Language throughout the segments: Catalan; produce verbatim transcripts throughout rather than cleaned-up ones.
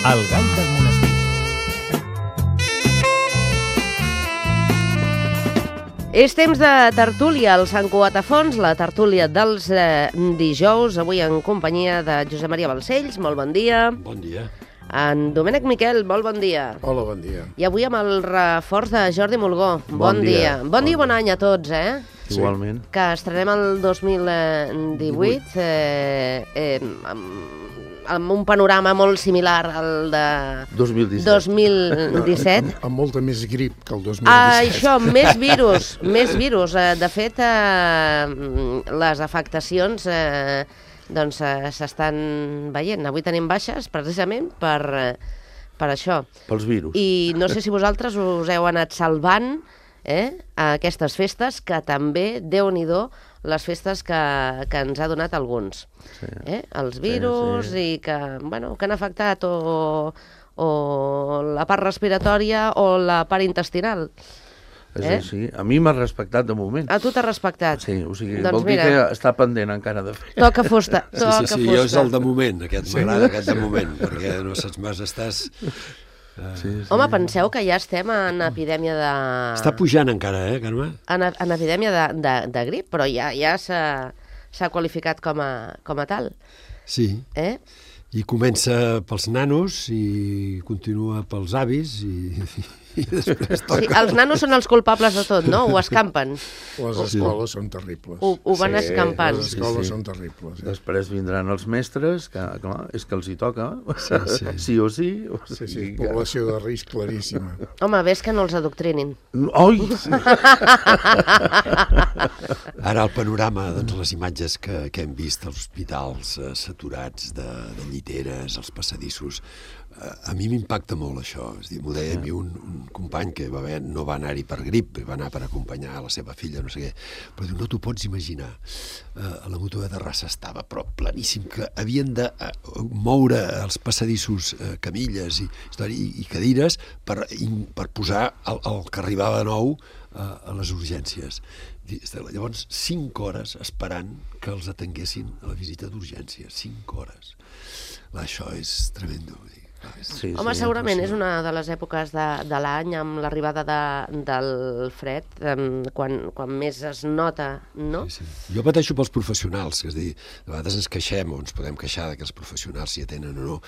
El gall del monestir. És temps de tertúlia al Sant Cugat a Fons, la tertúlia dels eh, dijous, avui en companyia de Josep Maria Balcells, molt bon dia. Bon dia. En Domènec Miquel, molt bon dia. Hola, bon dia. I avui amb el reforç de Jordi Mulgó, bon, bon dia. dia. Bon, bon dia i bon any a tots, eh? Sí. Igualment. Que estrenem el dos mil divuit eh, eh, amb, amb un panorama molt similar al de dos mil disset. dos mil disset. Amb, amb molta més grip que el dos mil Ah, disset. això, més virus, més virus. Eh, De fet, eh, les afectacions eh, doncs eh, s'estan veient. Avui tenim baixes precisament per, eh, per això. Pels virus. I no sé si vosaltres us heu anat salvant eh, a aquestes festes, que també, Déu-n'hi-do, les festes que, que ens ha donat alguns. Sí. Eh? Els virus sí, sí. i que, bueno, que han afectat o, o la part respiratòria o la part intestinal. És Eh? així. A mi m'ha respectat de moment. A tu t'ha respectat. Sí, o sigui, Doncs vol dir mira, que està pendent encara de fer. Toca fusta, Sí, toca sí, sí, fusta. jo és el de moment, aquest m'agrada, aquest de moment, perquè no saps més, estàs... Sí, sí. Home, penseu que ja estem en epidèmia de... Està pujant encara, eh, Carme? En, en epidèmia de, de, de grip, però ja, ja s'ha s'ha qualificat com a, com a tal. Sí, Eh? i comença pels nanos i continua pels avis i, i després Sí, toca... els nanos són els culpables de tot, no? Ho escampen. Les escoles són terribles. Ho, ho van Sí, escampant. Les escoles sí. són terribles. Eh? Després vindran els mestres, que clar, és que els hi toca, Sí, sí. sí o sí. O Sí, sí, sigui que- població de risc claríssima. Home, ves que no els adoctrinin. Oi! Ara el panorama, doncs, les imatges que, que hem vist als hospitals eh, saturats de, de lliteres, els passadissos, eh, a mi m'impacta molt això. És dir, m'ho deia a mi un, un company que va haver, no va anar-hi per grip, va anar per acompanyar la seva filla, no sé què, però diu, no t'ho pots imaginar. Eh, a la Mutua de Terrassa estava però planíssim, que havien de eh, moure els passadissos, eh, camilles i, i, i cadires per, i, per posar el, el que arribava nou eh, a les urgències. Llavors, cinc hores esperant que els atenguessin a la visita d'urgències. Cinc hores. Clar, això és tremendo. Sí, Home, sí, segurament sí. és una de les èpoques de, de l'any amb l'arribada de, del fred, em, quan, quan més es nota, no? Sí, sí. Jo pateixo pels professionals, és a dir, de vegades ens queixem o ens podem queixar que els professionals s'hi atenen o no,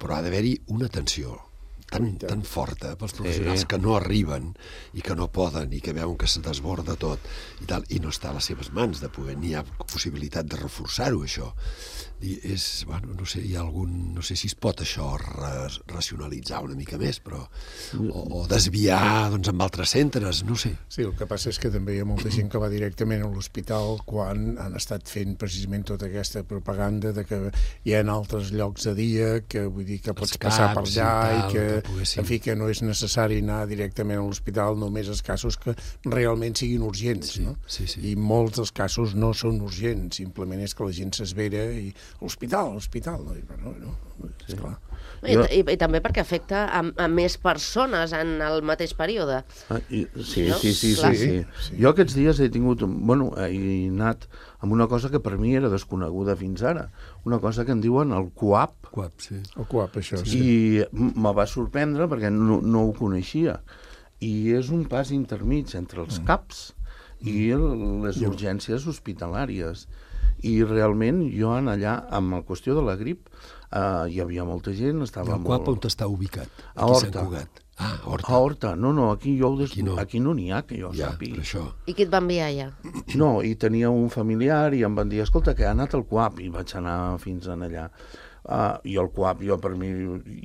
però ha d'haver-hi una atenció tan, tan forta pels professionals Sí. que no arriben i que no poden i que veuen que se desborda tot i, tal, i no està a les seves mans de poder, ni hi ha possibilitat de reforçar-ho, això. I és, bueno, no sé, hi ha algun, no sé si es pot això ra racionalitzar una mica més, però o, o desviar doncs, amb altres centres, no sé. Sí, el que passa és que també hi ha molta gent que va directament a l'hospital quan han estat fent precisament tota aquesta propaganda de que hi ha altres llocs de dia, que vull dir que pots Els passar per caps i allà i, tal, que, que poguessin- en fi, que no és necessari anar directament a l'hospital, només els casos que realment siguin urgents, Sí, no? sí, sí. I molts dels casos no són urgents, simplement és que la gent s'esvera i a l'hospital, a l'hospital, no? I, bueno, no, esclar. I, i, I també perquè afecta a, a més persones en el mateix període. Ah, i, sí, No? sí, sí, Clar. sí, sí, sí. Jo aquests dies he tingut, un- bueno, he anat amb una cosa que per mi era desconeguda fins ara, una cosa que en diuen el C U A P, Quap, sí. El cuap, això, sí. i me va sorprendre perquè no, no ho coneixia. I és un pas intermig entre els CAPs i el, les urgències hospitalàries. I realment jo en allà, amb la qüestió de la grip, eh, hi havia molta gent, I estava el Quap on molt... està ubicat? A Aquí a Sant Horta. Cugat. Ah, a Horta. A Horta, no, no, aquí, jo ho des... Aquí no. aquí no n'hi ha, que jo Ja, sàpiga. per això. I qui et va enviar ja? No, i tenia un familiar i em van dir, escolta, que ha anat al C U A P, i vaig anar fins en allà. Uh, I el C U A P, jo per mi,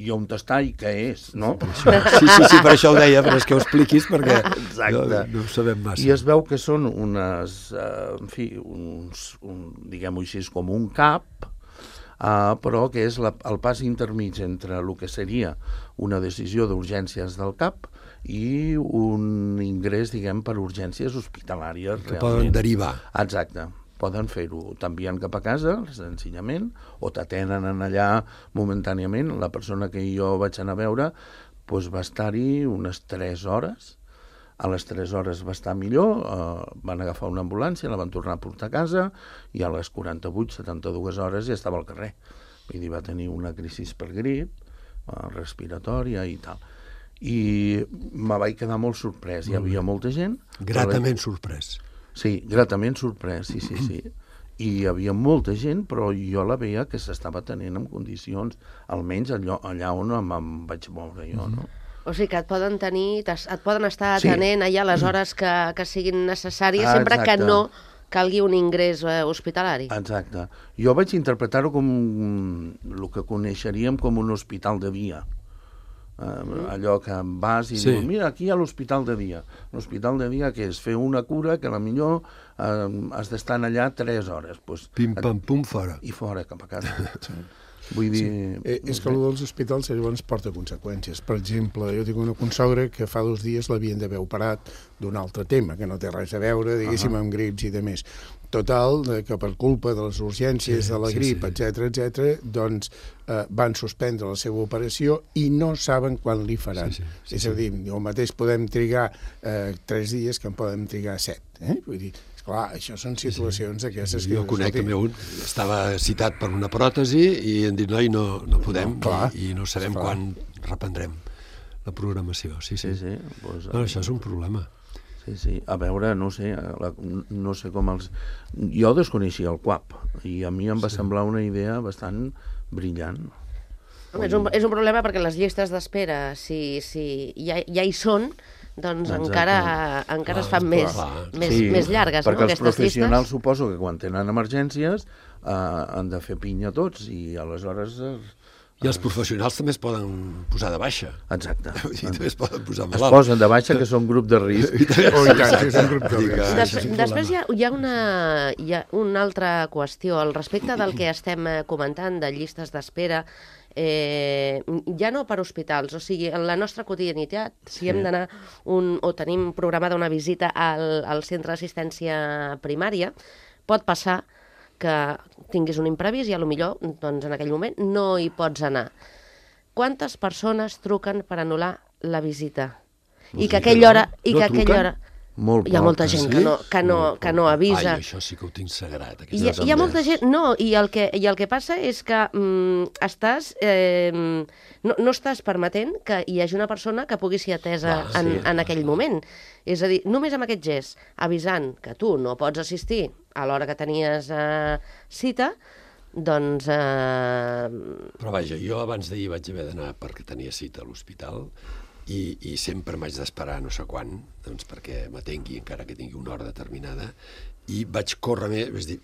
i on està i què és, no? Sí, sí, sí, per això ho deia, però és que ho expliquis perquè Exacte. no, no ho sabem massa. I es veu que són unes, uh, en fi, uns, un, diguem-ho així, com un CAP, uh, però que és la, el pas intermig entre el que seria una decisió d'urgències del CAP i un ingrés, diguem, per urgències hospitalàries. Que realment. poden derivar. Exacte. Poden fer-ho, t'envien cap a casa, senzillament, o t'atenen en allà momentàniament. La persona que jo vaig anar a veure doncs va estar-hi unes tres hores. A les tres hores va estar millor, eh, van agafar una ambulància, la van tornar a portar a casa i a les quaranta-vuit, setanta-dues hores ja estava al carrer. Vull dir, va tenir una crisi per grip, respiratòria i tal. I me vaig quedar molt sorprès. Hi havia molta gent... Gratament sorprès. Sí, gratament sorprès, sí, sí, sí. I hi havia molta gent, però jo la veia que s'estava tenint en condicions, almenys allò, allà on em, em vaig moure jo, no? O sigui que et poden tenir, et poden estar atenent sí. allà les hores que, que siguin necessàries, ah, sempre que no calgui un ingrés eh, hospitalari. Exacte. Jo vaig interpretar-ho com el que coneixeríem com un hospital de dia. Uh, mm. Allò que vas i sí. dius, mira, aquí hi ha l'hospital de dia. L'hospital de dia que és fer una cura que a la millor uh, has d'estar allà tres hores. Pues, pim, pam, pum, fora. I fora, cap a casa. Vull dir... Sí. Eh, és que el dels hospitals llavors porta conseqüències. Per exemple, jo tinc una consogra que fa dos dies l'havien d'haver operat d'un altre tema, que no té res a veure, diguéssim, uh -huh. amb grips i de més. Total, que per culpa de les urgències, sí, de la grip, sí, sí. etcètera, etcètera, doncs eh, van suspendre la seva operació i no saben quan li faran. Sí, sí, sí, és a dir, sí. el mateix podem trigar eh, tres dies que en podem trigar set. Eh? Vull dir, clar, això són situacions sí, sí. aquestes sí, que... Jo conec també un, estava citat per una pròtesi i em dit, noi, no, no podem, no, clar, i, i no sabem clar. quan reprendrem la programació. Sí, sí. sí, sí. Pues, no, això és un problema. Sí, sí. A veure, no sé, la, no sé com els... Jo desconeixia el C U A P i a mi em va sí. semblar una idea bastant brillant. Home, és, un, és un problema perquè les llistes d'espera, si, si ja, ja hi són, doncs Exacte. encara, encara clar, es fan més, clar. més, sí, més llargues. Perquè no, els professionals llistes? Suposo que quan tenen emergències eh, han de fer pinya tots i aleshores... Eh, I els professionals també es poden posar de baixa. Exacte. I també es poden posar malalt. Es posen de baixa, que són grup de risc. Oh, i tant, és un grup de risc. Des, després hi ha, hi, ha una, hi ha una altra qüestió. Al respecte del que estem comentant, de llistes d'espera, eh, ja no per hospitals, o sigui, en la nostra quotidianitat, si sí. hem d'anar un, o tenim programada una visita al, al centre d'assistència primària, pot passar que tinguis un imprevist i potser doncs, en aquell moment no hi pots anar. Quantes persones truquen per anul·lar la visita? I que aquella hora... I que aquella hora... Molt hi ha molta gent sí? que, no, que, no, que no avisa. Ai, això sí que ho tinc sagrat. Hi ha, hi ha molta gent... No, i el que, i el que passa és que mm, estàs... Eh, no, no estàs permetent que hi hagi una persona que pugui ser atesa ah, en, sí, en aquell moment. És a dir, només amb aquest gest, avisant que tu no pots assistir a l'hora que tenies eh, cita, doncs... Eh... Però vaja, jo abans d'ahir vaig haver d'anar perquè tenia cita a l'hospital i, i sempre m'haig d'esperar no sé quan, doncs perquè m'atengui encara que tingui una hora determinada, i vaig córrer més, és dir,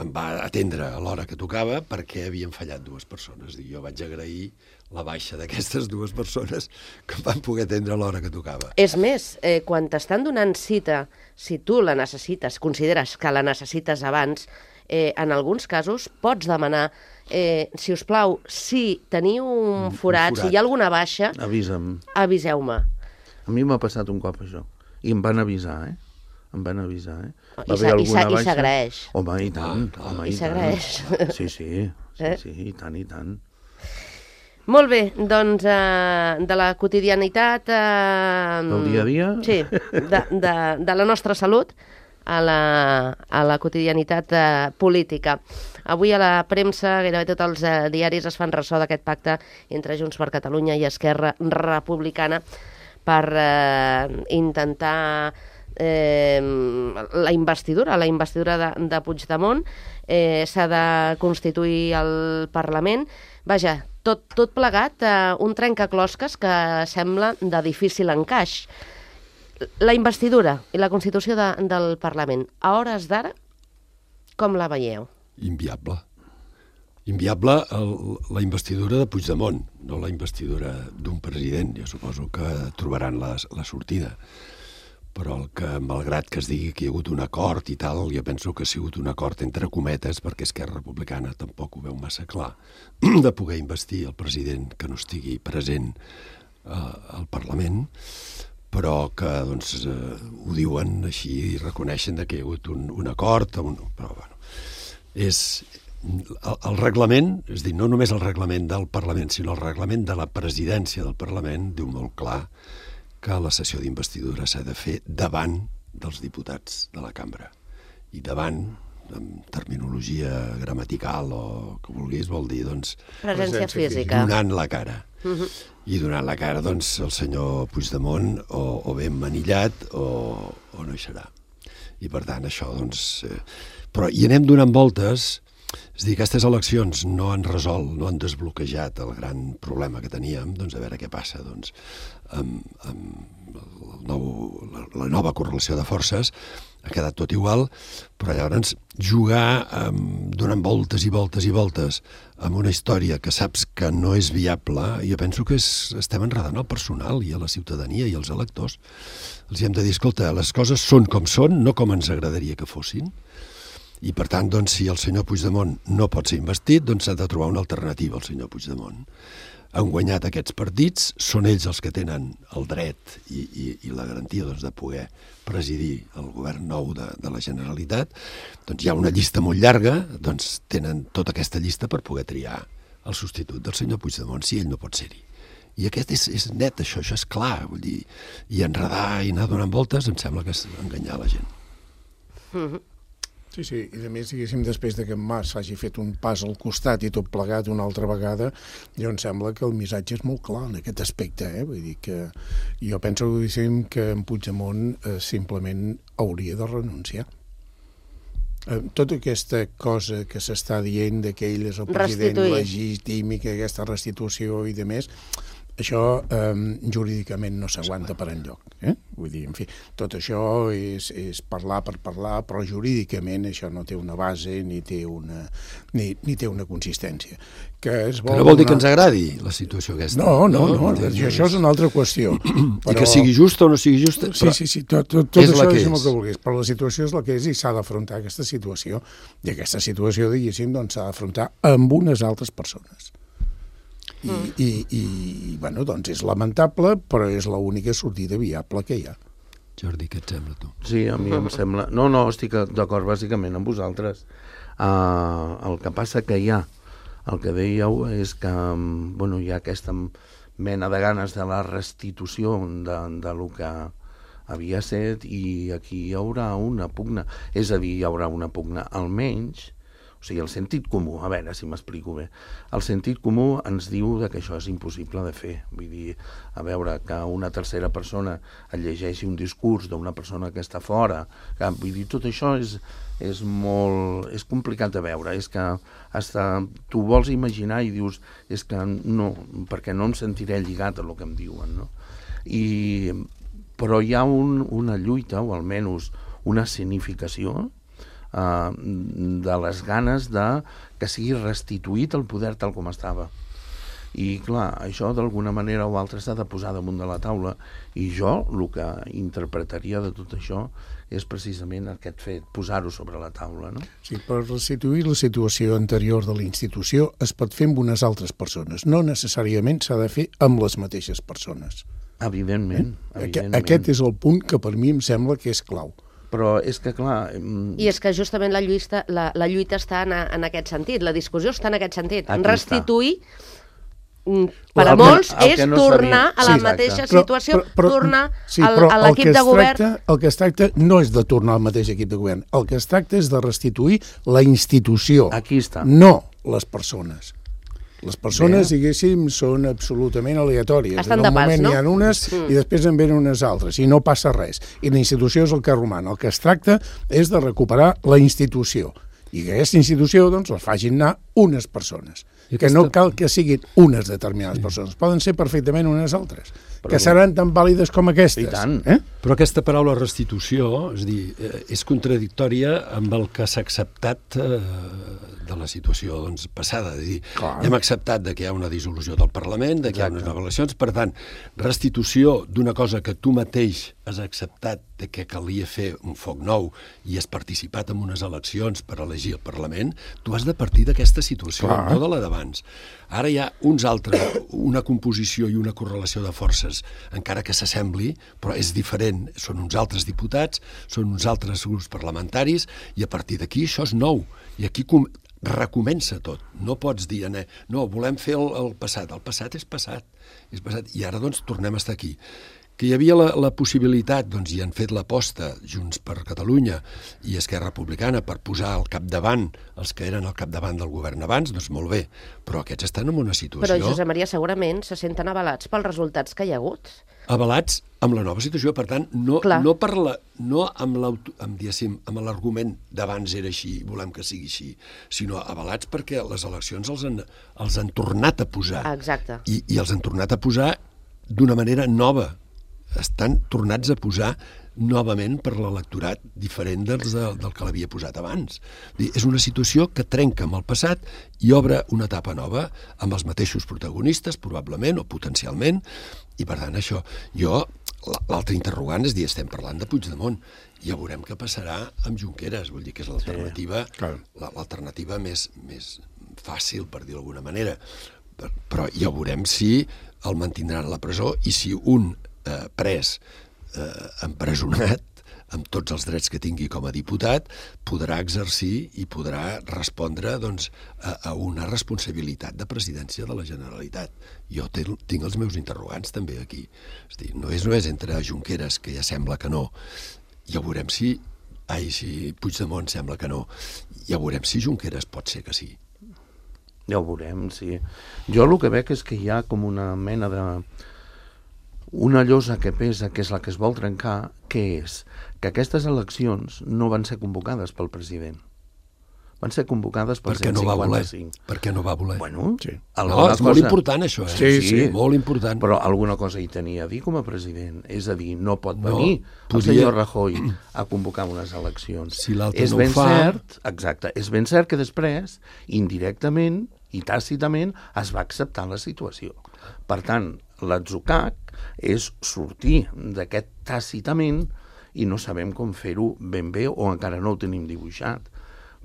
em va atendre a l'hora que tocava perquè havien fallat dues persones. I jo vaig agrair la baixa d'aquestes dues persones que van poder atendre a l'hora que tocava. És més, eh, quan t'estan donant cita, si tu la necessites, consideres que la necessites abans, eh, en alguns casos pots demanar, eh, si us plau, si teniu un forat, un forat, si hi ha alguna baixa, avisa'm. Aviseu-me. A mi m'ha passat un cop això, i em van avisar, eh? Em van avisar, eh? I s'agraeix. Home, i tant. Ah, home, I s'agraeix. Sí, sí, sí, eh? sí, i tant, i tant. Molt bé, doncs eh, de la quotidianitat... Eh, del dia a dia? Sí, de, de, de la nostra salut a la, a la quotidianitat eh, política. Avui a la premsa, gairebé tots els eh, diaris es fan ressò d'aquest pacte entre Junts per Catalunya i Esquerra Republicana per eh, intentar eh, la investidura, la investidura de, de Puigdemont. Eh, s'ha de constituir el Parlament. Vaja, tot, tot plegat, eh, un trencaclosques que sembla de difícil encaix. La investidura i la constitució de, del Parlament, a hores d'ara, com la veieu? Inviable. Inviable el, la investidura de Puigdemont, no la investidura d'un president. Jo suposo que trobaran la, la sortida. Però el que, malgrat que es digui que hi ha hagut un acord i tal, jo penso que ha sigut un acord entre cometes, perquè Esquerra Republicana tampoc ho veu massa clar, de poder investir el president que no estigui present eh, al Parlament, però que doncs, eh, ho diuen així i reconeixen que hi ha hagut un, un acord, un, però bueno, és el, el reglament, és dir, no només el reglament del Parlament, sinó el reglament de la presidència del Parlament, diu molt clar que la sessió d'investidura s'ha de fer davant dels diputats de la cambra. I davant amb terminologia gramatical o que vulguis, vol dir, doncs... Presència física. Donant la cara. Uh-huh. I donant la cara, doncs, el senyor Puigdemont o, o ben manillat o, o no hi serà. I, per tant, això, doncs... Eh, però hi anem donant voltes. És a dir, aquestes eleccions no han resolt, no han desbloquejat el gran problema que teníem, doncs a veure què passa, doncs, amb, amb el nou, la, la nova correlació de forces ha quedat tot igual, però llavors jugar um, donant voltes i voltes i voltes amb una història que saps que no és viable, jo penso que és, estem enredant el personal i a la ciutadania i als electors. Els hem de dir, escolta, les coses són com són, no com ens agradaria que fossin, i per tant, doncs, si el senyor Puigdemont no pot ser investit, doncs s'ha de trobar una alternativa al senyor Puigdemont. Han guanyat aquests partits, són ells els que tenen el dret i, i, i la garantia, doncs, de poder presidir el govern nou de, de la Generalitat. Doncs hi ha una llista molt llarga, doncs tenen tota aquesta llista per poder triar el substitut del senyor Puigdemont, si ell no pot ser-hi. I aquest és, és net, això, això és clar, vull dir, i enredar i anar donant voltes em sembla que és enganyar la gent. Mm-hmm. Sí, sí, i a més, diguéssim, després de que en Mas hagi fet un pas al costat i tot plegat una altra vegada, jo em sembla que el missatge és molt clar en aquest aspecte, eh? Vull dir que jo penso, diguéssim, que en Puigdemont eh, simplement hauria de renunciar. Eh, tota aquesta cosa que s'està dient de que ell és el president Restituir. legítim i que aquesta restitució i de més, això eh, jurídicament no s'aguanta per enlloc. Eh? Vull dir, en fi, tot això és, és parlar per parlar, però jurídicament això no té una base ni té una, ni, ni té una consistència. Que, es vol que no vol dir donar... que ens agradi la situació aquesta. No, no, no, no, no això és una altra qüestió. Però... I que sigui justa o no sigui justa, sí, sí, sí, tot, tot, tot és això la que és el és. que vulguis, però la situació és la que és i s'ha d'afrontar aquesta situació. I aquesta situació, diguéssim, doncs, s'ha d'afrontar amb unes altres persones. I, mm. i, i bueno, doncs és lamentable, però és l'única sortida viable que hi ha. Jordi, què et sembla, tu? Sí, a mi em sembla... No, no, estic d'acord bàsicament amb vosaltres. Uh, el que passa que hi ha, el que dèieu és que bueno, hi ha aquesta mena de ganes de la restitució de, de lo que havia set i aquí hi haurà una pugna. És a dir, hi haurà una pugna, almenys... O sigui, el sentit comú, a veure si m'explico bé, el sentit comú ens diu que això és impossible de fer. Vull dir, a veure, que una tercera persona et llegeixi un discurs d'una persona que està fora, que, vull dir, tot això és, és molt... és complicat de veure, és que hasta tu vols imaginar i dius, és que no, perquè no em sentiré lligat a el que em diuen, no? I, però hi ha un, una lluita, o almenys una significació, Uh, de les ganes de que sigui restituït el poder tal com estava. I clar, això d'alguna manera o altra s'ha de posar damunt de la taula i jo el que interpretaria de tot això és precisament aquest fet, posar-ho sobre la taula, no? Sí, per restituir la situació anterior de la institució es pot fer amb unes altres persones, no necessàriament s'ha de fer amb les mateixes persones. Evidentment, eh? evidentment. Aquest és el punt que per mi em sembla que és clau. Però és que, clar... I és que justament la lluita, la, la lluita està en, en aquest sentit, la discussió està en aquest sentit. Aquí restituir, està. per a el molts, que, és no tornar sabia. a la Sí, mateixa però, situació, però, però, tornar sí, al, a l'equip de govern... Tracta, el que es tracta no és de tornar al mateix equip de govern, el que es tracta és de restituir la institució, Aquí està. no les persones. Les persones, Bé. diguéssim, són absolutament aleatòries. Estan en un de pas, moment no? n'hi ha unes Mm. i després en venen unes altres, i no passa res. I la institució és el que roman. El que es tracta és de recuperar la institució. I que aquesta institució, doncs, la facin anar unes persones. I Que aquesta... no cal que siguin unes determinades sí. persones. Poden ser perfectament unes altres. Però... Que seran tan vàlides com aquestes. I tant. Eh? Però aquesta paraula restitució, és dir, és contradictòria amb el que s'ha acceptat eh, de la situació doncs, passada. És dir, Clar. hem acceptat de que hi ha una dissolució del Parlament, de que Exacte. hi ha unes noves eleccions, per tant, restitució d'una cosa que tu mateix has acceptat de que calia fer un foc nou i has participat en unes eleccions per elegir el Parlament, tu has de partir d'aquesta situació, Clar. no de la d'abans. Ara hi ha uns altres, una composició i una correlació de forces, encara que s'assembli, però és diferent. Són uns altres diputats, són uns altres grups parlamentaris, i a partir d'aquí això és nou. I aquí com recomença tot. No pots dir, no, volem fer el, el passat. El passat és passat. És passat. I ara, doncs, tornem a estar aquí. que hi havia la, la possibilitat, doncs, i han fet l'aposta Junts per Catalunya i Esquerra Republicana per posar al capdavant els que eren al capdavant del govern abans, doncs molt bé, però aquests estan en una situació... Però, Josep Maria, segurament se senten avalats pels resultats que hi ha hagut. Avalats amb la nova situació, per tant, no, no, per la, no amb l'argument d'abans era així, volem que sigui així, sinó avalats perquè les eleccions els han, els han tornat a posar. Exacte. I, i els han tornat a posar d'una manera nova. Estan tornats a posar novament per l'electorat diferent dels de, del que l'havia posat abans. És una situació que trenca amb el passat i obre una etapa nova amb els mateixos protagonistes, probablement, o potencialment, i per tant això, jo, l'altre interrogant és dir, estem parlant de Puigdemont, ja veurem què passarà amb Junqueras, vull dir que és l'alternativa sí, l'alternativa més, més fàcil, per dir d'alguna manera, però ja veurem si el mantindran a la presó i si un eh, pres eh, empresonat amb tots els drets que tingui com a diputat, podrà exercir i podrà respondre doncs, a, a una responsabilitat de presidència de la Generalitat. Jo te, tinc els meus interrogants també aquí. És dir, no és només entre Junqueras, que ja sembla que no, ja veurem si... Ai, si Puigdemont sembla que no. Ja veurem si Junqueras pot ser que sí. Ja ho veurem, sí. Jo el que veig és que hi ha com una mena de... una llosa que pesa, que és la que es vol trencar, que és que aquestes eleccions no van ser convocades pel president. Van ser convocades pel perquè cent cinquanta-cinc. No perquè no va voler. Bueno, sí. No, és cosa... molt important això, eh? Sí, sí, molt important. Però alguna cosa hi tenia a dir com a president. És a dir, no pot no, venir podia... el senyor Rajoy a convocar unes eleccions. Si l'altre és no ben ho fa... cert, exacte, és ben cert que després, indirectament i tàcitament, es va acceptar la situació. Per tant, l'atzucac és sortir d'aquest tàcitament i no sabem com fer-ho ben bé o encara no ho tenim dibuixat.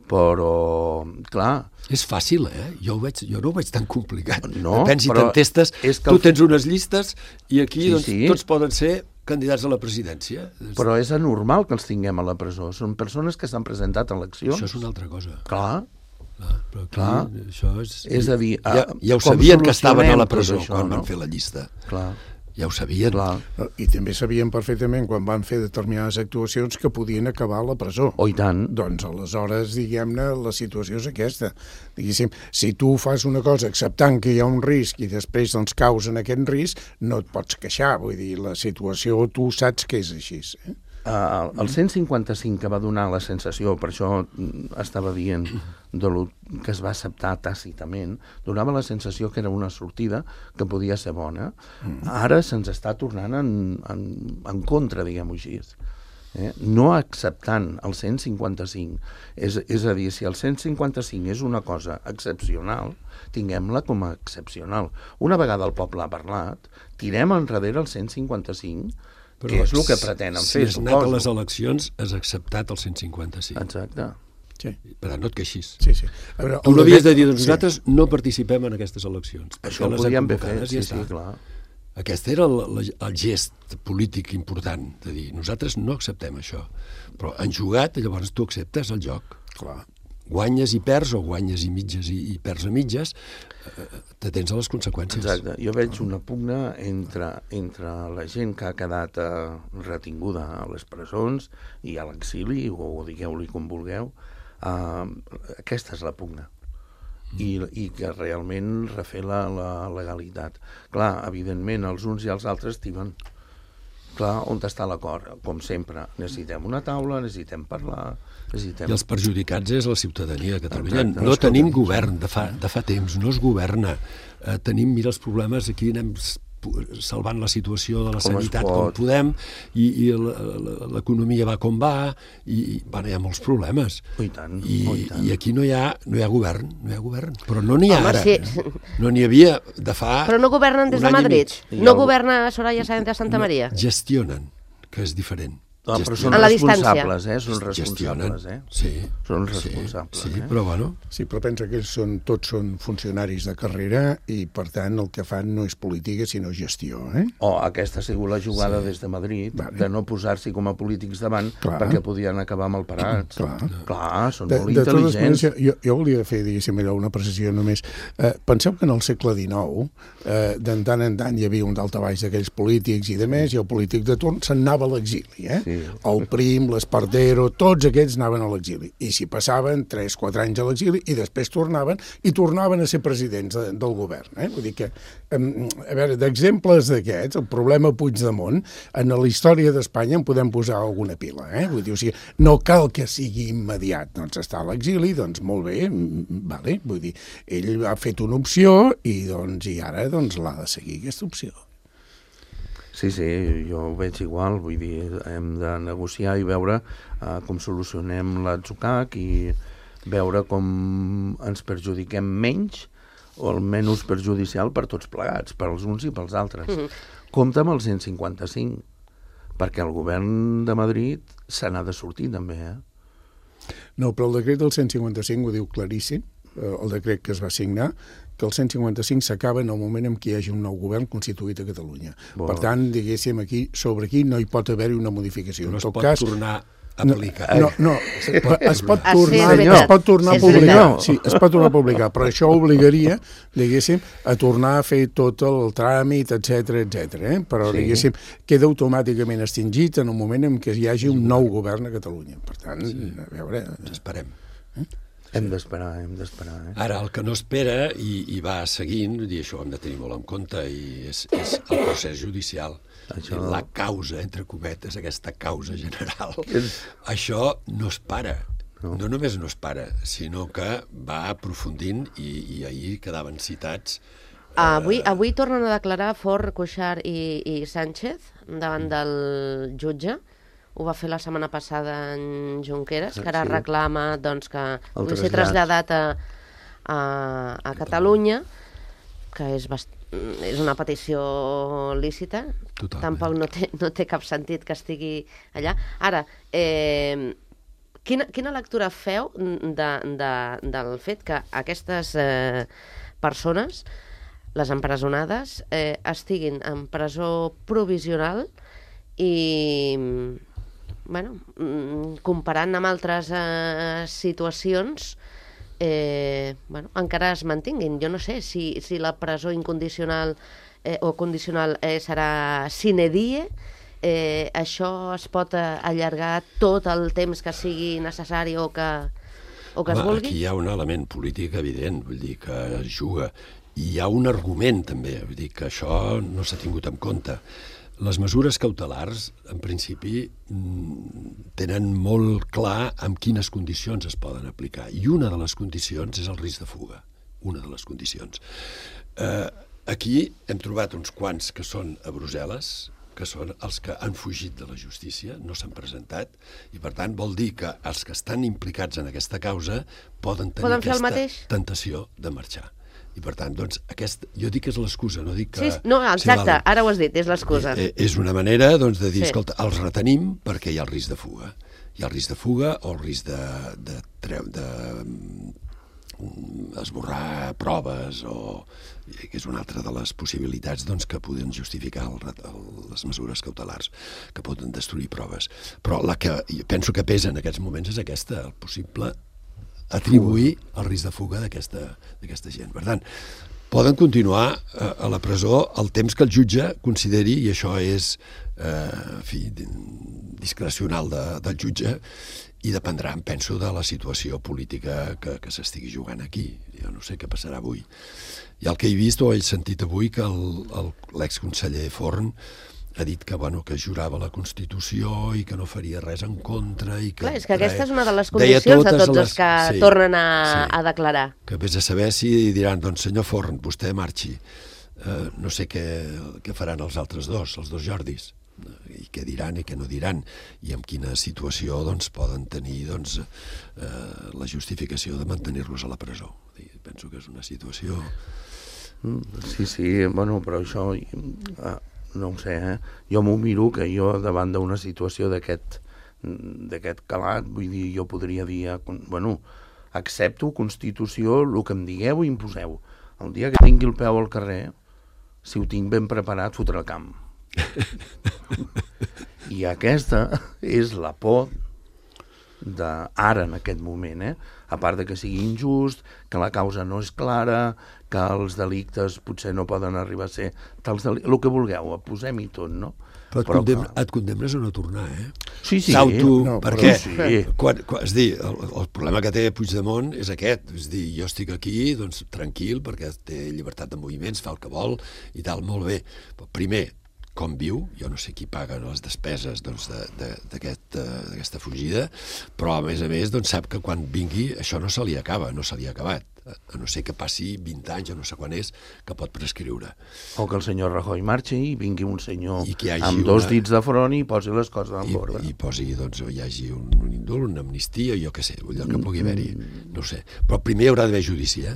Però, clar... És fàcil, eh? Jo, ho veig, jo no ho veig tan complicat. No, Pensi, però... t'entestes, tu el... tens unes llistes i aquí sí, doncs, sí. tots poden ser candidats a la presidència. Però és anormal que els tinguem a la presó. Són persones que s'han presentat a eleccions. Això és una altra cosa. Clar. Clar, però aquí, clar. Això és... és a dir, ja, ja ho sabien que estaven a la presó això, quan no? van fer la llista. Clar. Ja ho sabien. Clar. I també sabien perfectament, quan van fer determinades actuacions, que podien acabar a la presó. Oh, i tant. Doncs, aleshores, diguem-ne, la situació és aquesta. Diguéssim, si tu fas una cosa acceptant que hi ha un risc i després doncs, caus en aquest risc, no et pots queixar. Vull dir, la situació tu saps que és així. Eh? Uh, el cent cinquanta-cinc que va donar la sensació, per això estava dient de lo que es va acceptar tàcitament, donava la sensació que era una sortida que podia ser bona. Ara se'ns està tornant en, en, en contra, diguem-ho així. Eh? No acceptant el cent cinquanta-cinc. És, és a dir, si el cent cinquanta-cinc és una cosa excepcional, tinguem-la com a excepcional. Una vegada el poble ha parlat, tirem enrere el cent cinquanta-cinc, però que és el que pretenen si fer, has anat a les eleccions, has acceptat el cent cinquanta-cinc. Exacte. Sí. Per tant, no et queixis. Sí, sí. Veure, tu no havies de dir, doncs sí. nosaltres no participem en aquestes eleccions. Això ho podíem haver fet, sí, sí, clar. Aquest era el, el, el gest polític important, de dir, nosaltres no acceptem això. Però han jugat, llavors tu acceptes el joc. Clar. Guanyes i perds, o guanyes i mitges i, i perds a mitges, eh, t'atens a les conseqüències. Exacte. Jo veig una pugna entre, entre la gent que ha quedat eh, retinguda a les presons i a l'exili, o, o digueu-li com vulgueu. Uh, aquesta és la pugna. I, i que realment refer la, la legalitat. Clar, evidentment, els uns i els altres tiben. Clar, on està l'acord? Com sempre, necessitem una taula, necessitem parlar... Necessitem... I els perjudicats és la ciutadania de Catalunya. Exacte. No tenim govern, de fa, de fa temps, no es governa. Eh, tenim, mira, els problemes, aquí anem salvant la situació de la com sanitat com podem, i, i l'economia va com va, i, i bueno, hi ha molts problemes. Oh, i tant, I, oh, i tant. I aquí no hi ha, no hi ha govern, no hi ha govern. Però no n'hi ha Home, ara. Sí. No n'hi havia de fa... Però no governen des de Madrid? No governa Soraya Sáenz de Santa Maria? No, gestionen, que és diferent. No, però són a la responsables, eh? Són gestionen, responsables, eh? sí. Són responsables, sí, sí, eh? però bueno... Sí, però pensa que ells són, tots són funcionaris de carrera i, per tant, el que fan no és política, sinó gestió, eh? O aquesta ha sigut la jugada Sí. des de Madrid, Vale. de no posar-s'hi com a polítics davant, Clar. perquè podien acabar mal parats. Clar. Clar, són De, molt de totes intel·ligents. maneres, jo, jo volia fer, diguéssim, allò, una precisió només. Eh, penseu que en el segle dinou, eh, de tant en tant hi havia un daltabaix d'aquells polítics i de més, i el polític de torn se'n anava a l'exili, eh? Sí. El Prim, l'Espartero, tots aquests anaven a l'exili. I s'hi passaven tres quatre anys a l'exili i després tornaven, i tornaven a ser presidents de, del govern, eh? Vull dir que, eh, a veure, d'exemples d'aquests, el problema Puigdemont, en la història d'Espanya en podem posar alguna pila, eh? Vull dir, o sigui, no cal que sigui immediat, doncs està a l'exili, doncs molt bé, vale, vull dir, ell ha fet una opció i doncs i ara doncs l'ha de seguir aquesta opció. Sí, sí, jo ho veig igual, vull dir, hem de negociar i veure uh, com solucionem l'atzucac i veure com ens perjudiquem menys o el menys perjudicial per tots plegats, per als uns i pels altres. Mm-hmm. Compte amb el cent cinquanta-cinc, perquè el govern de Madrid se n'ha de sortir també, eh? No, però el decret del cent cinquanta-cinc ho diu claríssim, el decret que es va signar, que el cent cinquanta-cinc s'acaba en el moment en què hi hagi un nou govern constituït a Catalunya. Bon. Per tant, diguéssim, aquí, sobre aquí no hi pot haver-hi una modificació. No En es tot pot cas, tornar a aplicar. No, no, es pot, es pot Ah, sí, és tornar, veritat. es pot tornar a És publicar. veritat. Sí, es pot tornar a publicar, però això obligaria, diguéssim, a tornar a fer tot el tràmit, etcètera, etcètera. Eh? Però, Sí. diguéssim, queda automàticament extingit en el moment en què hi hagi un nou govern a Catalunya. Per tant, a veure... Esperem. Hem d'esperar, hem d'esperar, eh? Ara, el que no espera i, i va seguint, vull dir, això ho hem de tenir molt en compte, i és, és el procés judicial. Això- La causa, entre cometes, aquesta causa general. És- Això no es para. No. No. no només no es para, sinó que va aprofundint i, i ahir quedaven citats. Avui, avui tornen a declarar Forn, Cuixart i, i Sánchez davant del jutge. Ho va fer la setmana passada en Junqueras, que ara Sí. reclama doncs, que pugui ser trasllat. traslladat a, a, a Catalunya, que és, bast... és una petició lícita. Totalment. Tampoc no té, no té cap sentit que estigui allà. Ara, eh, quina, quina lectura feu de, de, del fet que aquestes eh, persones, les empresonades, eh, estiguin en presó provisional i, bueno, mm, comparant amb altres eh, situacions, eh, bueno, encara es mantinguin. Jo no sé si, si la presó incondicional eh, o condicional eh, serà sine die, eh, això es pot eh, allargar tot el temps que sigui necessari o que, o que es Home, vulgui? aquí hi ha un element polític evident, vull dir que es juga. I hi ha un argument també, vull dir que això no s'ha tingut en compte. Les mesures cautelars, en principi, tenen molt clar amb quines condicions es poden aplicar. I una de les condicions és el risc de fuga. Una de les condicions. Eh, aquí hem trobat uns quants que són a Brussel·les, que són els que han fugit de la justícia, no s'han presentat, i per tant vol dir que els que estan implicats en aquesta causa poden tenir Poden fer el aquesta mateix? tentació de marxar. I per tant, doncs, aquest, jo dic que és l'excusa, no dic que... Sí, no, exacte, val. ara ho has dit, és l'excusa. Eh, eh, És una manera, doncs, de dir, Sí. escolta, els retenim perquè hi ha el risc de fuga. Hi ha el risc de fuga o el risc de, de, treu, de mm, esborrar proves o que és una altra de les possibilitats doncs, que poden justificar el, el, les mesures cautelars, que poden destruir proves. Però la que penso que pesa en aquests moments és aquesta, el possible atribuir el risc de fuga d'aquesta gent. Per tant, poden continuar a, a la presó el temps que el jutge consideri, i això és eh, en fi, discrecional de, del jutge, i dependrà, em penso, de la situació política que, que s'estigui jugant aquí. Jo no sé què passarà avui. I el que he vist o he sentit avui que l'exconseller Forn ha dit que, bueno, que jurava la Constitució i que no faria res en contra. I que Clar, és que aquesta és una de les deia condicions de totes tots les- els que sí, tornen a, sí. a declarar. Que vés a saber si diran, doncs senyor Forn, vostè marxi. Eh, no sé què, què faran els altres dos, els dos Jordis, i què diran i què no diran, i en quina situació doncs, poden tenir doncs, eh, la justificació de mantenir-los a la presó. I penso que és una situació... Sí, sí, bueno, però això... Eh, no ho sé, eh? Jo m'ho miro que jo davant d'una situació d'aquest d'aquest calat, vull dir, jo podria dir, bueno, accepto, Constitució, el que em digueu i imposeu. El dia que tingui el peu al carrer, si ho tinc ben preparat, fotré el camp. I aquesta és la por d'ara, en aquest moment, eh? A part de que sigui injust, que la causa no és clara, que els delictes potser no poden arribar a ser tals delictes, el que vulgueu, posem-hi tot, no? Però et, però condem, que... et condemnes a no tornar, eh? Sí, sí. S'auto... No, perquè, sí. quan, quan, és dir, el, el problema que té Puigdemont és aquest, és dir, jo estic aquí, doncs, tranquil, perquè té llibertat de moviments, fa el que vol, i tal, molt bé. Però primer, com viu, jo no sé qui paga les despeses doncs, d'aquesta aquest, fugida, però a més a més doncs, sap que quan vingui això no se li acaba, no se li ha acabat, a no ser que passi vint anys o no sé quan és, que pot prescriure. O que el senyor Rajoy marxi i vingui un senyor amb una... dos dits de front i posi les coses en I, ordre. I posi, doncs, hi hagi un, un indult, una amnistia, jo què sé, allò que pugui haver-hi, no ho sé. Però primer hi haurà d'haver judici, eh?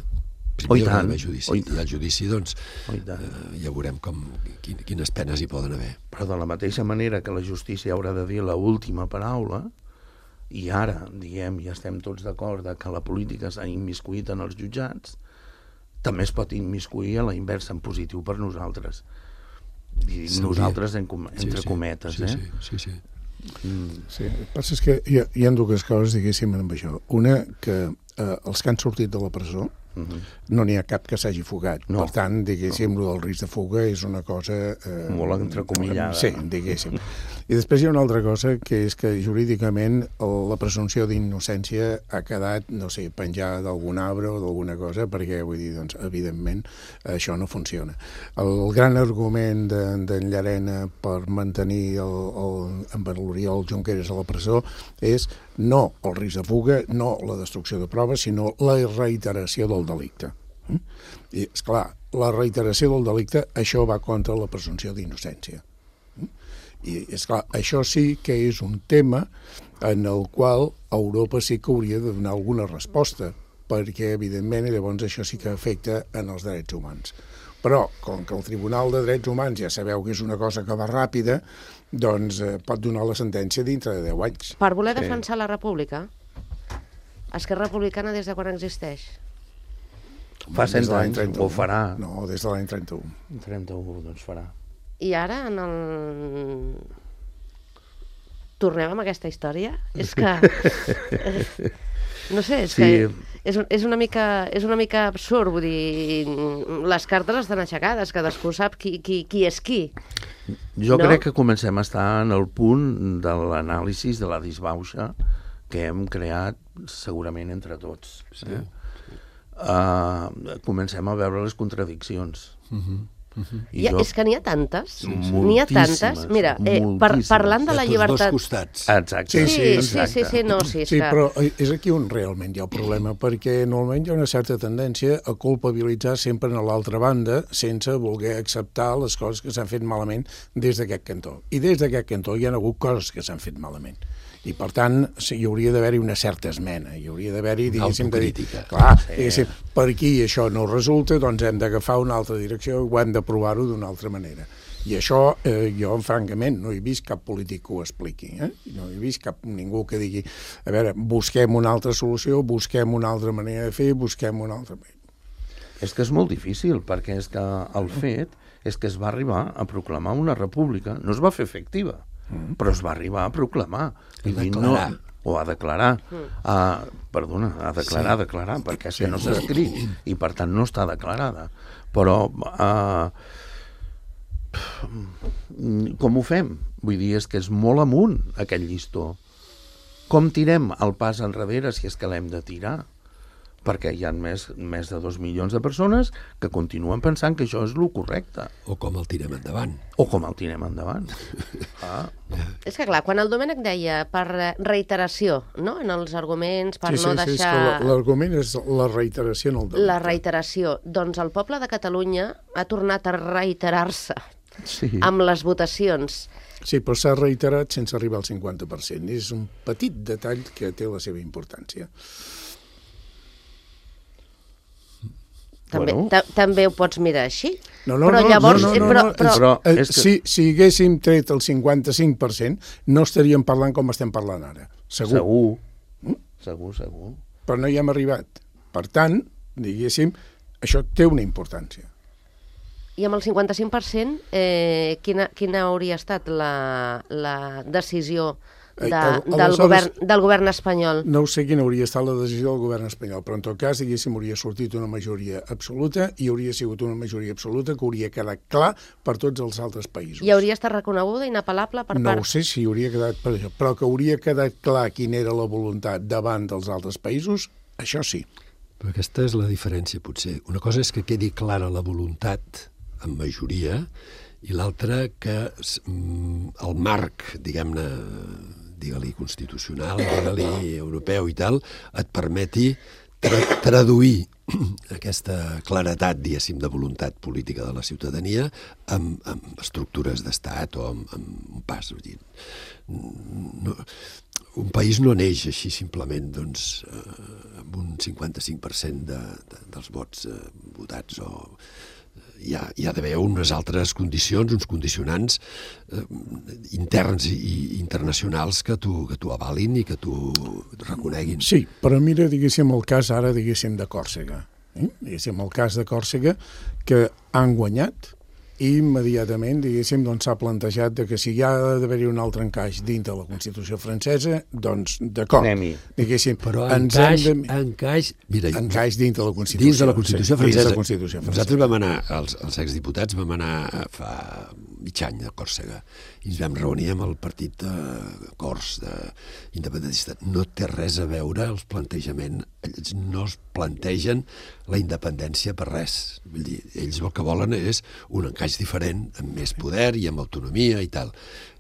Oh, i Primer hi haurà tant. d'haver judici. Oh, I, I el judici, doncs, oh, eh, ja veurem com, quin, quines penes hi poden haver. Però de la mateixa manera que la justícia haurà de dir l'última paraula, i ara, diem, i estem tots d'acord que la política s'ha immiscuït en els jutjats, també es pot immiscuir a la inversa en positiu per nosaltres. I sí, nosaltres, en com, entre sí, sí, cometes, sí, eh? Sí, sí, sí. Mm. Sí, el que passa és que hi ha, hi ha dues coses, diguéssim, amb això. Una, que eh, els que han sortit de la presó, Mm-hmm. no n'hi ha cap que s'hagi fugat. No. Per tant, diguéssim, no. el risc de fuga és una cosa... Eh, molt entrecomillada. Sí, diguéssim. I després hi ha una altra cosa, que és que jurídicament la presumpció d'innocència ha quedat, no sé, penjada d'algun arbre o d'alguna cosa, perquè, vull dir, doncs, evidentment, això no funciona. El gran argument d'en de, Llarena per mantenir el, el, en l'Oriol Junqueras a la presó és no el risc de fuga, no la destrucció de proves, sinó la reiteració del delicte. I, esclar, la reiteració del delicte, això va contra la presumpció d'innocència. I, esclar, això sí que és un tema en el qual Europa sí que hauria de donar alguna resposta, perquè, evidentment, llavors això sí que afecta en els drets humans. Però, com que el Tribunal de Drets Humans ja sabeu que és una cosa que va ràpida, doncs eh, pot donar la sentència dintre de deu anys. Per voler Sí. defensar la república, Esquerra Republicana des de quan existeix? Fa Des cent de l'any anys, trenta-u. ho farà. No, des de l'any trenta-u. trenta-u, doncs farà. I ara, en el... Tornem amb aquesta història? És que... eh, no sé, és Sí. que és, és, una mica, és una mica absurd, vull dir, les cartes estan aixecades, cadascú sap qui, qui, qui és qui. Jo No? crec que comencem a estar en el punt de l'anàlisi de la disbauxa que hem creat segurament entre tots. Sí. Eh? Uh, comencem a veure les contradiccions. Uh-huh. Uh-huh. I Ja, jo... és que n'hi ha tantes, Sí, n'hi ha tantes. moltíssimes, Mira, eh, par, moltíssimes. parlant de la tots llibertat... dos costats. Exacte. Sí, Sí, sí, exacte. sí, sí, no, sí, és Sí, que... però és aquí on realment hi ha el problema, perquè normalment hi ha una certa tendència a culpabilitzar sempre a l'altra banda sense voler acceptar les coses que s'han fet malament des d'aquest cantó. I des d'aquest cantó hi ha hagut coses que s'han fet malament. I, per tant, sí, hi hauria d'haver-hi una certa esmena, hi hauria d'haver-hi, diguéssim, de dir, autocrítica. clar, Sí. diguéssim, per aquí això no resulta, doncs hem d'agafar una altra direcció i ho hem de provar-ho d'una altra manera. I això, eh, jo, francament, no he vist cap polític que ho expliqui, eh? No he vist cap ningú que digui, a veure, busquem una altra solució, busquem una altra manera de fer, busquem una altra manera. És que és molt difícil, perquè és que el fet és que es va arribar a proclamar una república, no es va fer efectiva, mm. però es va arribar a proclamar. A declarar. No, o a declarar. Mm. Uh, perdona, a declarar, Sí. declarar, perquè és que no s'ha escrit i per tant no està declarada. Però uh, com ho fem? Vull dir, és que és molt amunt aquest llistó. Com tirem el pas enrere si és que l'hem de tirar? Perquè hi ha més, més de dos milions de persones que continuen pensant que això és el correcte. O com el tirem endavant. O com el tirem endavant. Ah. És que, clar, quan el Domènec deia per reiteració, no?, en els arguments, per sí, no sí, sí, deixar... és que l'argument és la reiteració en el delicte. La reiteració. Doncs el poble de Catalunya ha tornat a reiterar-se Sí. amb les votacions. Sí, però s'ha reiterat sense arribar al cinquanta per cent. És un petit detall que té la seva importància. També, Bueno. ta- també ho pots mirar així. No, no, però no, llavors, no, no, no, però, no, però, però- Eh, és que- si, si haguéssim tret el cinquanta-cinc per cent, no estaríem parlant com estem parlant ara. Segur. Segur. Segur, segur. Però no hi hem arribat. Per tant, diguéssim, això té una importància. I amb el cinquanta-cinc per cent, eh, quina, quina hauria estat la, la decisió de, Eh, al- del, aleshores- govern, del govern espanyol? No sé quina hauria estat la decisió del govern espanyol, però en tot cas, diguéssim, hauria sortit una majoria absoluta i hauria sigut una majoria absoluta que hauria quedat clar per tots els altres països. I hauria estat reconeguda, inapel·lable per No part... ho sé si hauria quedat per això, però que hauria quedat clar quina era la voluntat davant dels altres països, això sí. Però aquesta és la diferència, potser. Una cosa és que quedi clara la voluntat en majoria i l'altra que mm, el marc, diguem-ne, digue-li constitucional, digue-li europeu i tal, et permeti tra traduir aquesta claretat, diguéssim, de voluntat política de la ciutadania amb, amb estructures d'estat o amb, amb un pas. Vull dir, no, un país no neix així simplement doncs, eh, amb un cinquanta-cinc per cent de, de, dels vots eh, votats o hi ha, hi ha d'haver unes altres condicions, uns condicionants eh, interns i, i internacionals que t'ho que t'ho avalin i que t'ho reconeguin. Sí, però mira, diguéssim, el cas ara, diguéssim, de Còrsega. Eh? Diguéssim, el cas de Còrsega, que han guanyat i immediatament, diguéssim, doncs s'ha plantejat de que si hi ha d'haver-hi un altre encaix dintre la Constitució francesa, doncs d'acord. Anem-hi. Diguéssim, Però ens encaix, hem de... encaix, mira, encaix dintre la Constitució. dins de la Constitució sí, francesa. Dins de la Constitució francesa. Nosaltres vam anar, els, els exdiputats vam anar fa mig any a Còrsega i ens vam reunir amb el partit de Cors, de independentista. No té res a veure els plantejaments. Ells no es plantegen la independència per res. Vull dir, ells el que volen és un encaix diferent, amb més poder i amb autonomia i tal.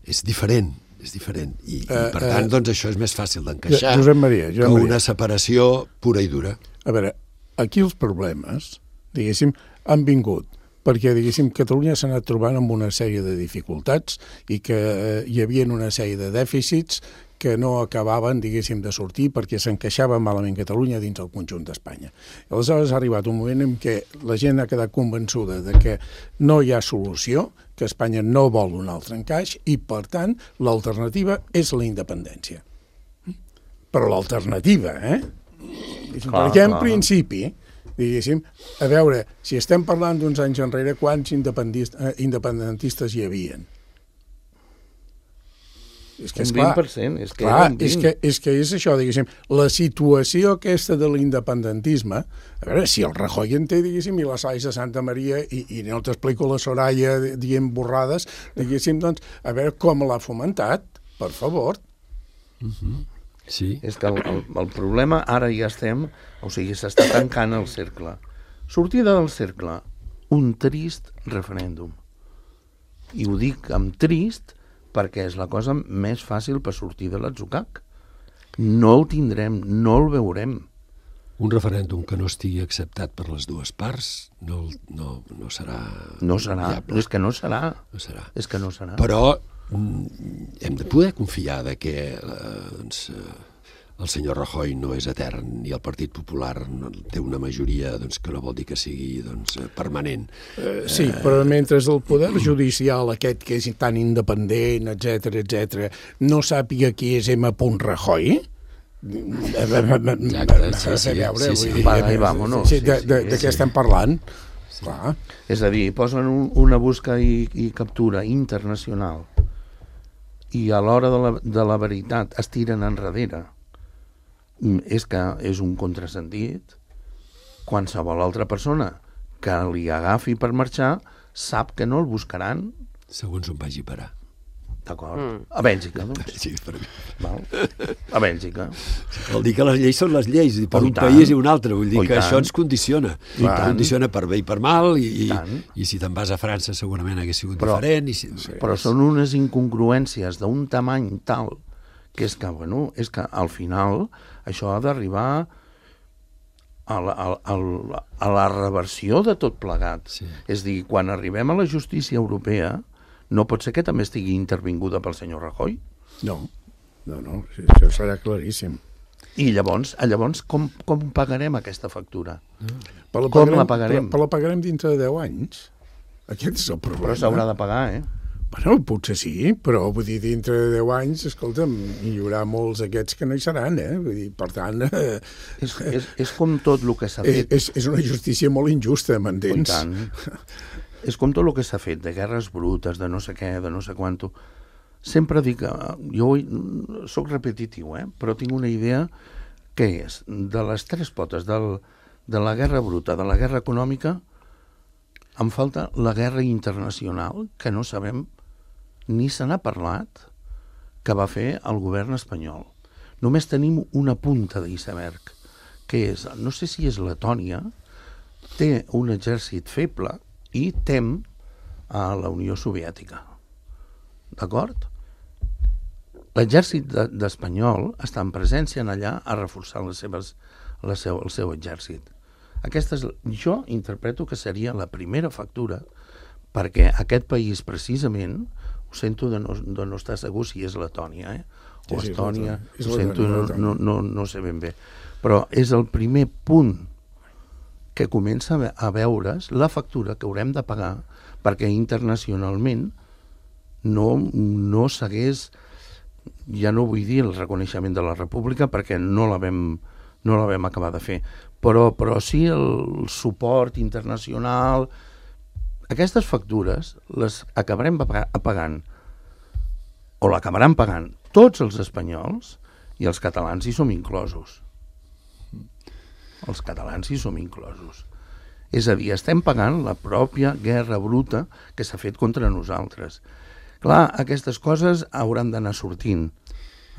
És diferent, és diferent. I, uh, i per tant, uh, doncs això és més fàcil d'encaixar Josep Maria, Josep que Maria. una separació pura i dura. A veure, aquí els problemes, diguéssim, han vingut perquè, diguéssim, Catalunya s'ha anat trobant amb una sèrie de dificultats i que eh, hi havia una sèrie de dèficits que no acabaven, diguéssim, de sortir perquè s'encaixava malament Catalunya dins el conjunt d'Espanya. Aleshores ha arribat un moment en què la gent ha quedat convençuda de que no hi ha solució, que Espanya no vol un altre encaix i, per tant, l'alternativa és la independència. Però l'alternativa, eh? Clar, Perquè, en clar. principi, diguéssim, a veure, si estem parlant d'uns anys enrere, quants independentistes hi havien? És que, Un esclar, vint per cent, és que clar, era un és vint. que, és que és això, diguéssim, la situació aquesta de l'independentisme, a veure, si el Rajoy en té, diguéssim, i la Sais de Santa Maria, i, i no t'explico la Soraya dient borrades, diguéssim, doncs, a veure com l'ha fomentat, per favor. Uh-huh. Sí. És que el, el, el problema ara ja estem, o sigui, s'està tancant el cercle. Sortida del cercle, un trist referèndum. I ho dic amb trist perquè és la cosa més fàcil per sortir de l'atzucac. No el tindrem, no el veurem. Un referèndum que no estigui acceptat per les dues parts no, no, no serà No serà, viable. és que no serà. No serà. És que no serà. Però mm, hem de poder confiar de que eh, doncs, eh, el senyor Rajoy no és etern i el Partit Popular no, té una majoria doncs, que no vol dir que sigui doncs, permanent. Eh, sí, però mentre el poder judicial aquest que és tan independent, etcètera, etcètera, no sàpiga qui és M. Rajoy, Exacte, sí, sí, veure, sí, sí. vull dir, Apaga i vámonos. sí, de, de, de sí, què sí. estem parlant? Clar. És a dir, posen un, una busca i, i captura internacional i a l'hora de, la, de la veritat es tiren enrere. És que és un contrasentit. Qualsevol altra persona que li agafi per marxar sap que no el buscaran. Segons on vagi a parar. D'acord. Mm. A Bèlgica, doncs. Sí, per mi. Val? A Bèlgica. Vol dir que les lleis són les lleis, i per Oh, un tant. país i un altre. Vull dir Oh, i que tant. això ens condiciona. I tant. Condiciona per bé i per mal, i, i, tant. i si te'n vas a França segurament hagués sigut Però- diferent. I si... Però són unes incongruències d'un tamany tal que és que, bueno, és que al final això ha d'arribar a la, a, a, a la reversió de tot plegat. Sí. És a dir, quan arribem a la justícia europea, no pot ser que també estigui intervinguda pel senyor Rajoy? No, no, no, sí, això serà claríssim. I llavors, llavors com, com pagarem aquesta factura? Però la Com pagarem, la pagarem? Però, però la pagarem dintre de deu anys. Aquest és el problema. Però s'haurà de pagar, eh? Bueno, potser sí, però vull dir, dintre de deu anys, escolta'm, hi haurà molts aquests que no hi seran, eh? Vull dir, per tant... Eh, És, és, és com tot el que s'ha és, fet. és, és una justícia molt injusta, m'entens? I tant. És com tot el que s'ha fet, de guerres brutes, de no sé què, de no sé quanto. Sempre dic, jo sóc repetitiu, eh? Però tinc una idea que és, de les tres potes del, de la guerra bruta, de la guerra econòmica, em falta la guerra internacional, que no sabem, ni se n'ha parlat, que va fer el govern espanyol. Només tenim una punta d'iceberg, que és, no sé si és Letònia, té un exèrcit feble i tem a la Unió Soviètica. D'acord? L'exèrcit de, d'espanyol està en presència en allà a reforçar les seves, la seu, el seu exèrcit. Aquesta és, jo interpreto que seria la primera factura perquè aquest país precisament, ho sento de no, de no estar segur si és Letònia, eh? o sí, sí, Estònia, és ho sento, no, Letònia. no, no, no sé ben bé, però és el primer punt que comença a veure's la factura que haurem de pagar perquè internacionalment no, no s'hagués, ja no vull dir el reconeixement de la República perquè no la vam, no la vam acabar de fer, però, però sí el suport internacional. Aquestes factures les acabarem pagant, o l'acabaran pagant tots els espanyols, i els catalans hi som inclosos. Els catalans hi som inclosos. És a dir, estem pagant la pròpia guerra bruta que s'ha fet contra nosaltres. Clar, aquestes coses hauran d'anar sortint.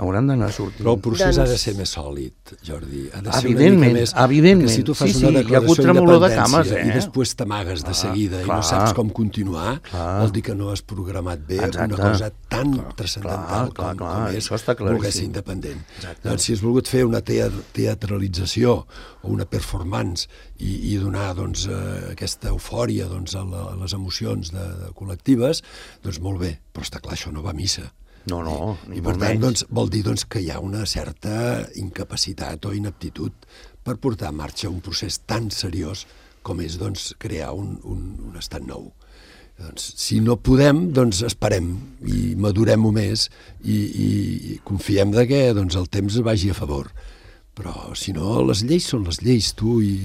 Hauran d'anar sortint. Però el procés Doncs... ha de ser més sòlid, Jordi. Ha de ser Evidentment, una mica més... evidentment. Si tu fas Sí, sí, una hi ha declaració hagut tremolor de d'independència cames, eh? i després t'amagues de Clar, seguida i clar. no saps com continuar, Clar. vol dir que no has programat bé Exacte. una cosa tan transcendental clar, clar, com, clar. com és Això està claríssim. voler ser independent. Exacte. Doncs si has volgut fer una tea- teatralització o una performance i, i donar doncs, eh, aquesta eufòria doncs, a, la, a les emocions de, de col·lectives, doncs molt bé, però està clar, això no va a missa. No, no, I, ni I per molt tant, menys. doncs, vol dir doncs, que hi ha una certa incapacitat o inaptitud per portar en marxa un procés tan seriós com és doncs, crear un, un, un estat nou. Doncs, si no podem, doncs esperem i madurem-ho més i, i, i confiem de que doncs, el temps vagi a favor. Però, si no, les lleis són les lleis, tu, i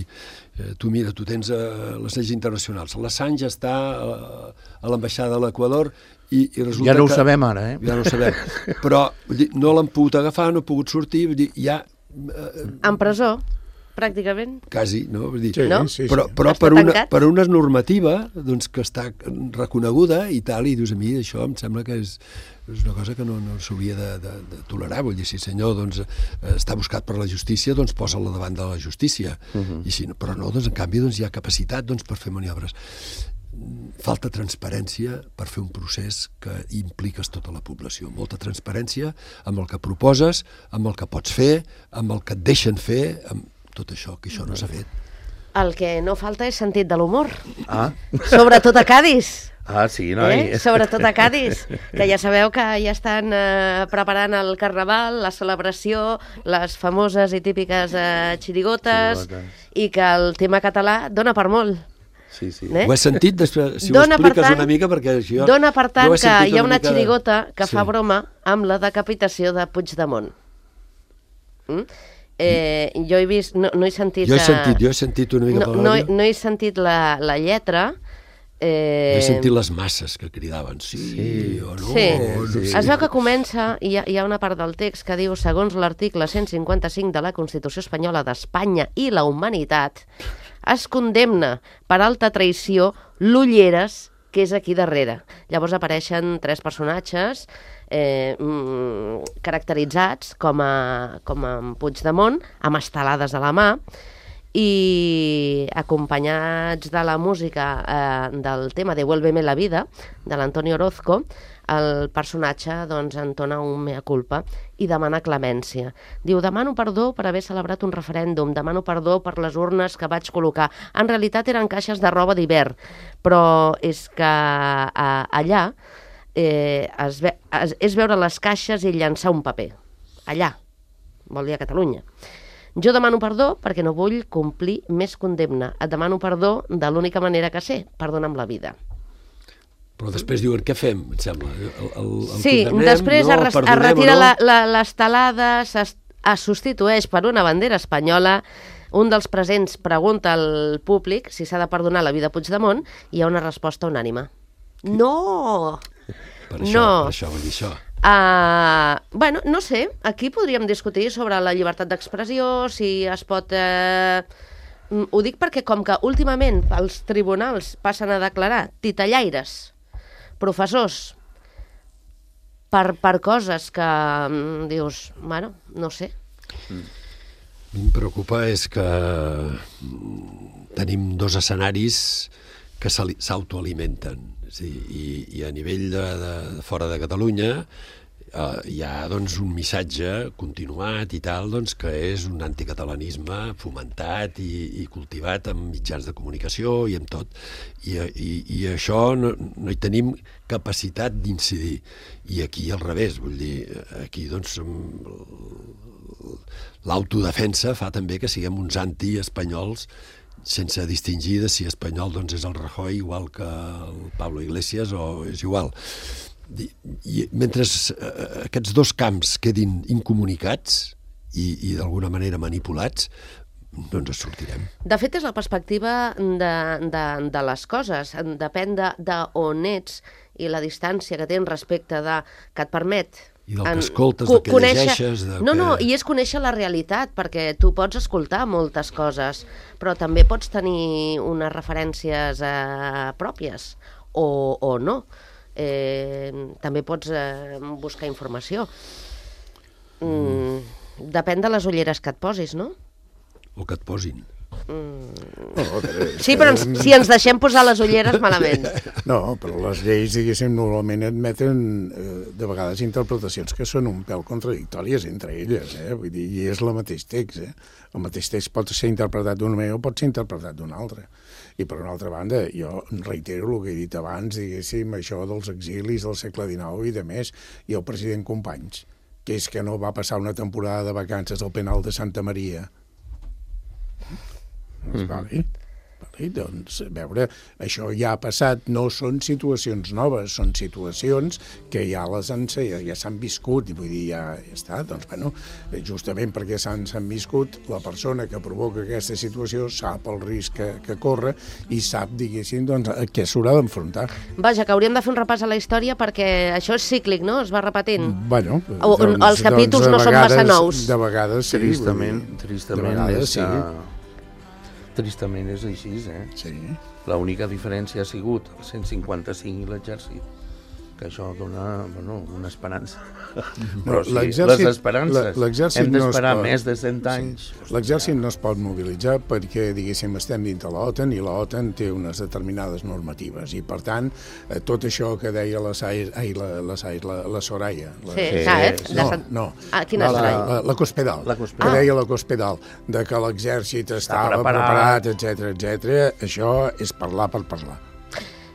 eh, tu mira, tu tens eh, les lleis internacionals. L'Assange està eh, a l'ambaixada de l'Equador i, i resulta Ja no ho que... sabem ara, eh? Ja no ho sabem. Però vull dir, no l'han pogut agafar, no ha pogut sortir, vull dir, ja... Eh, En presó, pràcticament. quasi, no? Vull dir, Sí, No? sí, sí. però, però Està per, una, tancat? per una normativa doncs, que està reconeguda i tal, i dius, a mi això em sembla que és, és una cosa que no, no s'hauria de, de, de tolerar. Vull dir, si el senyor doncs, està buscat per la justícia, doncs posa-la davant de la justícia. Uh-huh. I si no, però no, doncs, en canvi doncs, hi ha capacitat doncs, per fer maniobres. Falta transparència per fer un procés que impliques tota la població. Molta transparència amb el que proposes, amb el que pots fer, amb el que et deixen fer, amb tot això, que això no s'ha fet. El que no falta és sentit de l'humor. Ah, Sobretot a Cádiz. ah sí, noi. Eh? Sobretot a Cádiz, que ja sabeu que ja estan eh, preparant el carnaval, la celebració, les famoses i típiques eh, xirigotes, Xirigotes. i que el tema català dona per molt. Sí, sí. Eh? Ho he sentit, després, si Dona, ho per expliques tant- una mica, perquè jo... Dona, per tant, jo he que sentit hi ha una mica de- xirigota que Sí. fa broma amb la decapitació de Puigdemont. Mm? Eh, jo he vist, no, no he sentit... Jo he eh, sentit, jo he sentit una mica no, per la no, he- ràdio. no he sentit la, la lletra. Eh, He sentit les masses que cridaven, sí, Sí. o no, Sí, no sí. sé. es veu que comença, i hi, ha, hi ha una part del text que diu, segons l'article cent cinquanta-cinc de la Constitució Espanyola d'Espanya i la humanitat, es condemna per alta traïció l'Ulleres, que és aquí darrere. Llavors apareixen tres personatges eh, mm, caracteritzats com a, com a Puigdemont, amb estelades a la mà, i acompanyats de la música eh, del tema Devuélveme la vida, de l'Antonio Orozco, el personatge doncs, entona un mea culpa i demana clemència. Diu, demano perdó per haver celebrat un referèndum, demano perdó per les urnes que vaig col·locar. En realitat eren caixes de roba d'hivern, però és que a, allà eh, es ve, es, és veure les caixes i llançar un paper. Allà. vol dir a Catalunya. Jo demano perdó perquè no vull complir més condemna. Et demano perdó de l'única manera que sé, perdona'm la vida. Però després diuen, què fem, em sembla? El, el, el sí, després no, es, es retira no? l'estelada, es, es substitueix per una bandera espanyola, un dels presents pregunta al públic si s'ha de perdonar la vida a Puigdemont i hi ha una resposta unànime. No! Per això, no. per això vull dir això. Uh, bueno, no sé, aquí podríem discutir sobre la llibertat d'expressió, si es pot... Eh... Ho dic perquè com que últimament els tribunals passen a declarar titellaires, professors, per, per coses que mm, dius, bueno, no sé. Mm. A mi em preocupa és que tenim dos escenaris que s'autoalimenten. Sí, i, i a nivell de, de, de fora de Catalunya eh, hi ha doncs, un missatge continuat i tal doncs, que és un anticatalanisme fomentat i, i cultivat amb mitjans de comunicació i amb tot. I, i, i això no, no hi tenim capacitat d'incidir. I aquí al revés, vull dir, aquí doncs l'autodefensa fa també que siguem uns anti-espanyols sense distingir de si espanyol doncs, és el Rajoy igual que el Pablo Iglesias o és igual. I, i mentre eh, aquests dos camps quedin incomunicats i, i d'alguna manera manipulats, no ens sortirem. De fet, és la perspectiva de, de, de les coses. Depèn de, de on ets i la distància que tens respecte de que et permet... I del que escoltes, del que conèixer... llegeixes... De no, que... no, i és conèixer la realitat, perquè tu pots escoltar moltes coses, però també pots tenir unes referències eh, pròpies, o, o no. Eh, també pots eh, buscar informació. Mm, depèn de les ulleres que et posis, no? O que et posin. Mm. No, sí, però ens, si ens deixem posar les ulleres, malament. No, però les lleis, diguéssim, normalment admeten eh, de vegades interpretacions que són un pèl contradictòries entre elles, eh? Vull dir, i és el mateix text, eh? El mateix text pot ser interpretat d'una manera o pot ser interpretat d'una altra. I per una altra banda, jo reitero el que he dit abans, diguéssim, això dels exilis del segle dinou i de més, i el president Companys, que és que no va passar una temporada de vacances al penal de Santa Maria. Mm-hmm. Vale. Vale, doncs, a veure, això ja ha passat, no són situacions noves, són situacions que ja les han, ja, ja s'han viscut, i vull dir, ja, ja està, doncs, bueno, justament perquè s'han viscut, la persona que provoca aquesta situació sap el risc que, que corre i sap, diguéssim, doncs, a què s'haurà d'enfrontar. Vaja, que hauríem de fer un repàs a la història perquè això és cíclic, no? Es va repetint. Bueno, o, doncs, els capítols doncs, no són massa nous. De vegades, sí. Tristament, tristament de vegades, és que... Sí. Tristament és així, eh? Sí. L'única diferència ha sigut el cent cinquanta-cinc i l'exèrcit, que això dona, bueno, una esperança. Però sí, les esperances, hem d'esperar més de cent anys. Sí. L'exèrcit no es pot mobilitzar perquè, diguéssim, estem dintre l'OTAN i l'OTAN té unes determinades normatives i, per tant, tot això que deia la, Sair, ai, la, la, Sair, la, la Soraya... La, sí, sí, saps? No, no. Ah, quina la, la, la, la Cospedal, la Cospedal. Que deia la Cospedal, de que l'exèrcit estava preparat, preparat etcètera, etcètera. Això és parlar per parlar.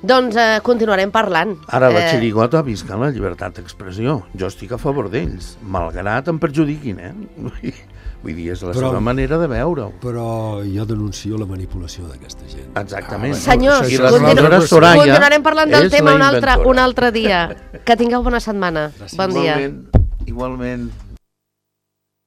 Doncs eh, continuarem parlant. Ara la xirigota visca la llibertat d'expressió. Jo estic a favor d'ells, malgrat em perjudiquin, eh? Vull dir, és la però, seva manera de veure-ho. Però jo denuncio la manipulació d'aquesta gent. Exactament. Ah, senyors, continu Soraya continuarem parlant del tema un altre, un altre dia. Que tingueu bona setmana. Gràcies. Bon dia. Igualment. Igualment.